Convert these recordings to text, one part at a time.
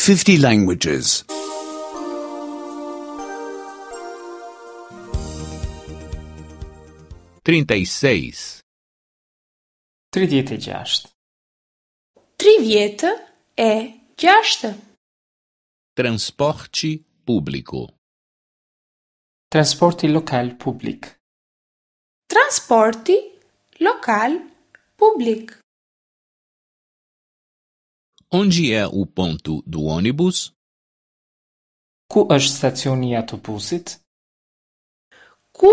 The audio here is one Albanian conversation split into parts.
50 languages. 36. 36. 36. Transporte público. Transporti lokal publik. Transporti lokal publik. Onde é o ponto do ônibus? Ku është stacioni i autobusit? Ku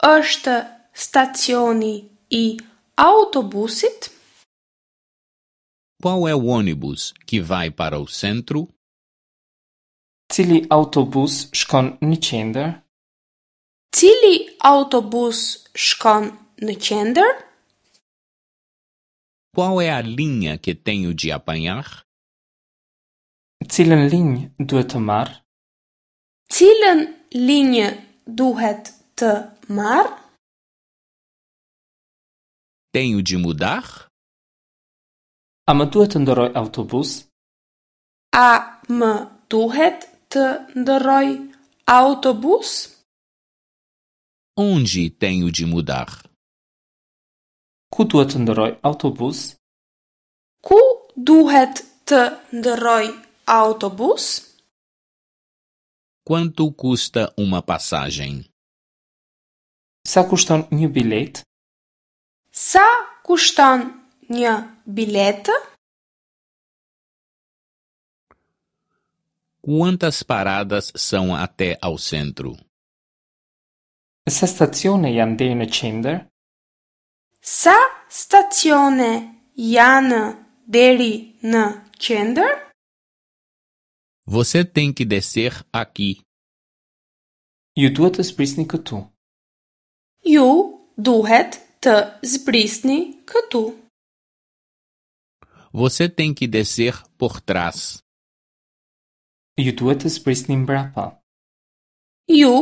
është stacioni i autobusit? Qual é o ônibus que vai para o centro? Cili autobus shkon në qendër? Cili autobus shkon në qendër? Qual é a linha que tenho de apanhar? Cilën linjë duhet të marr? Cilën linjë duhet të marr? Tenho de mudar? A më duhet të ndërroj autobus? A më duhet të ndërroj autobus? Onde tenho de mudar? Ku duhet të ndërroj autobus? Ku duhet të ndërroj autobus? Quanto custa uma passagem? Sa kushton një biletë? Sa kushton një biletë? Quantas paradas são até ao centro? Sa stacione janë deri në qendër? Sa stacione janë deri në qendër? Você tem que descer aqui. Ju duhet të zbrisni këtu. Ju duhet të zbrisni këtu. Você tem que descer por trás. Ju duhet të zbrisni mbrapa. Ju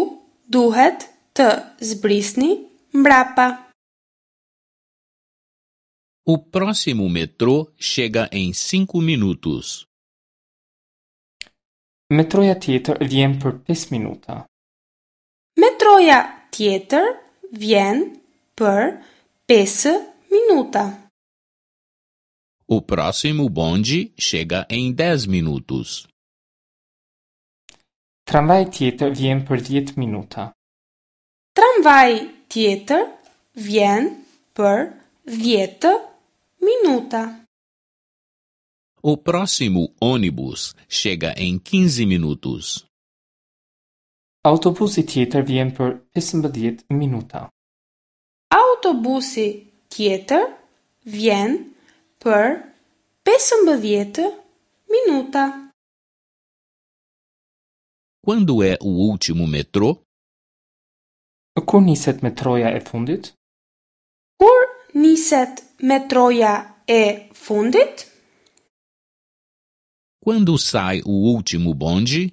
duhet të zbrisni mbrapa. O próximo metrô chega em cinco minutos. Metroja tjetër vjen për 5 minuta. Metroja tjetër vjen për 5 minuta. O próximo bonde chega em 10 minutos. Tramvaji tjetër vjen për 10 minuta. Tramvaji tjetër vjen për 10 minuta. O próximo ônibus chega em 15 minutos. Autobusi tjetër vjen për 15 minuta. Autobusi tjetër vjen për 15 minuta. Quando é o último metrô? Kur niset metroja e fundit? Kur niset metroja e fundit? Quando sai o último bonde?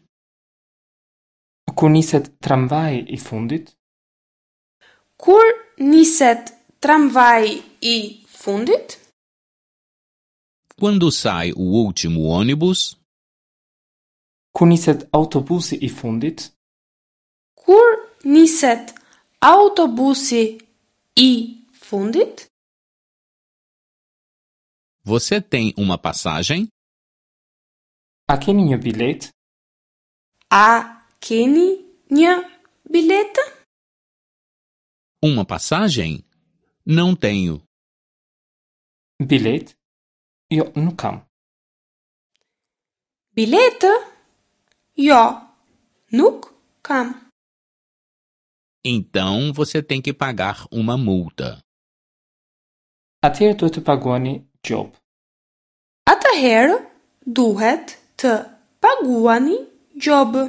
Kur niset tramvaji i fundit? Kur niset tramvaji i fundit? Quando sai o último ônibus? Kur niset autobusi i fundit? Kur niset autobusi i fundit? Você tem uma passagem? A keni një biletë? A keni një biletë? Uma passagem? Não tenho. Biletë? Jo, nuk kam. Biletë? Jo, nuk kam. Então você tem que pagar uma multa. Atëherë duhet të paguani gjobë. Atëherë duhet të paguani gjobë.